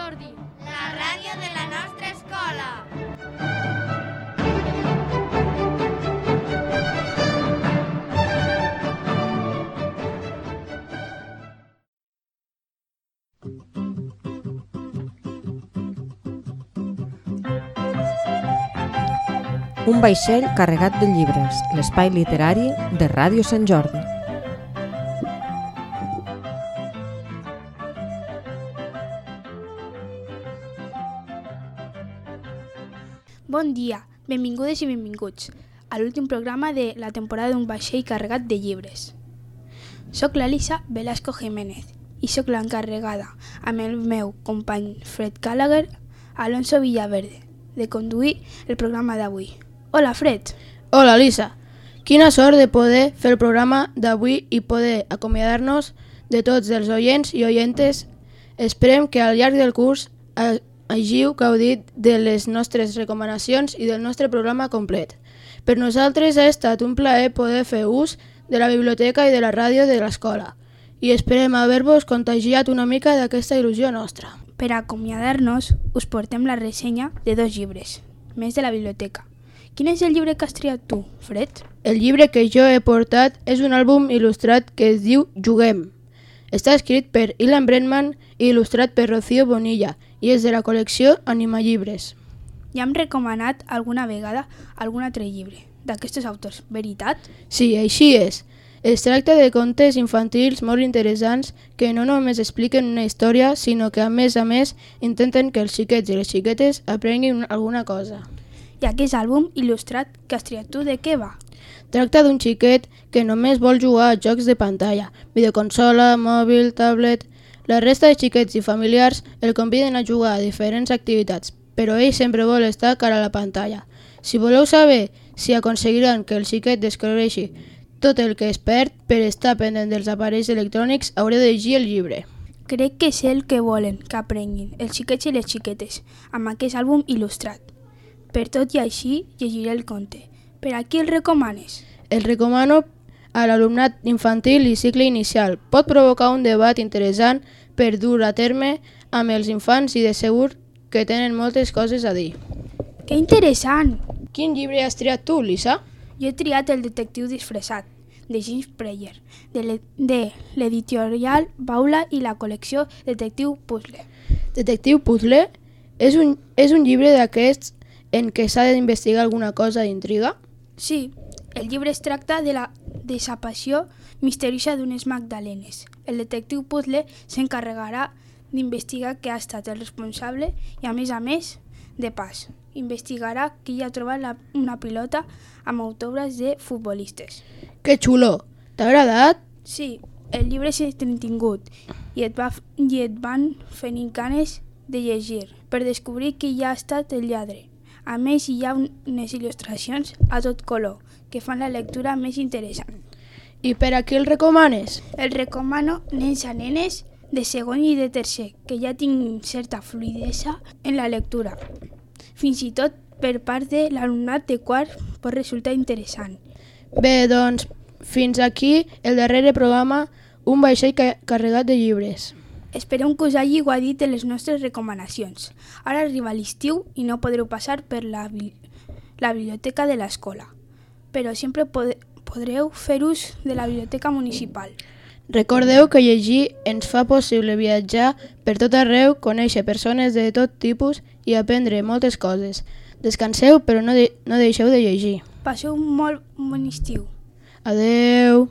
Jordi, la ràdio de la nostra escola. Un vaixell carregat de llibres, l'espai literari de Ràdio Sant Jordi. Bon dia, benvingudes i benvinguts a l'últim programa de la temporada d'un vaixell carregat de llibres. Soc l'Elisa Velasco Jiménez i soc l'encarregada, amb el meu company Fred Gallagher, Alonso Villaverde, de conduir el programa d'avui. Hola, Fred. Hola, Elisa. Quina sort de poder fer el programa d'avui i poder acomiadar-nos de tots els oients i oientes. Esperem que al llarg del curs hàgiu gaudit de les nostres recomanacions i del nostre programa complet. Per nosaltres ha estat un plaer poder fer ús de la biblioteca i de la ràdio de l'escola i esperem haver-vos contagiat una mica d'aquesta il·lusió nostra. Per acomiadar-nos, us portem la ressenya de 2 llibres, més de la biblioteca. Quin és el llibre que has triat tu, Fred? El llibre que jo he portat és un àlbum il·lustrat que es diu Juguem. Està escrit per Ilan Brennan i il·lustrat per Rocío Bonilla i és de la col·lecció Animallibres. Ja hem recomanat alguna vegada algun altre llibre d'aquests autors, veritat? Sí, així és. Es tracta de contes infantils molt interessants que no només expliquen una història, sinó que a més intenten que els xiquets i les xiquetes aprenguin alguna cosa. I aquest àlbum il·lustrat que has triat tu, de què va? Tracta d'un xiquet que només vol jugar a jocs de pantalla, videoconsola, mòbil, tablet. La resta de xiquets i familiars el conviden a jugar a diferents activitats, però ell sempre vol estar cara a la pantalla. Si voleu saber si aconseguiran que el xiquet descobreixi tot el que es perd per estar pendent dels aparells electrònics, haureu de llegir el llibre. Crec que és el que volen que aprenguin els xiquets i les xiquetes amb aquest àlbum il·lustrat. Per tot i així, llegiré el conte. Per a qui el recomanes? El recomano a l'alumnat infantil i cicle inicial. Pot provocar un debat interessant per dur a terme amb els infants i de segur que tenen moltes coses a dir. Que interessant! Quin llibre has triat tu, Lisa? Jo he triat El detectiu disfressat, de James Preyer, de l'editorial Baula i la col·lecció Detectiu Puzzle. Detectiu Puzzle és un llibre d'aquests en què s'ha d'investigar alguna cosa d'intriga? Sí, el llibre es tracta de la desaparició misteriosa d'unes magdalenes. El detectiu Puzzle s'encarregarà d'investigar què ha estat el responsable i, a més, de pas, investigarà qui ha trobat una pilota amb autògrafs de futbolistes. Que xulo! T'ha agradat? Sí, el llibre és entretingut i et van fent ganes de llegir per descobrir qui ha estat el lladre. A més, hi ha unes il·lustracions a tot color que fan la lectura més interessant. I per a qui el recomanes? El recomano nens a nenes de segon i de tercer, que ja tinc certa fluidesa en la lectura. Fins i tot per part de l'alumnat de quart pot resultar interessant. Bé, doncs, fins aquí el darrer programa, un vaixell carregat de llibres. Esperem que us hagi guadit de les nostres recomanacions. Ara arriba l'estiu i no podreu passar per la biblioteca de l'escola, però sempre podreu fer ús de la biblioteca municipal. Recordeu que llegir ens fa possible viatjar per tot arreu, conèixer persones de tot tipus i aprendre moltes coses. Descanseu, però no deixeu de llegir. Passeu un molt bon estiu. Adeu!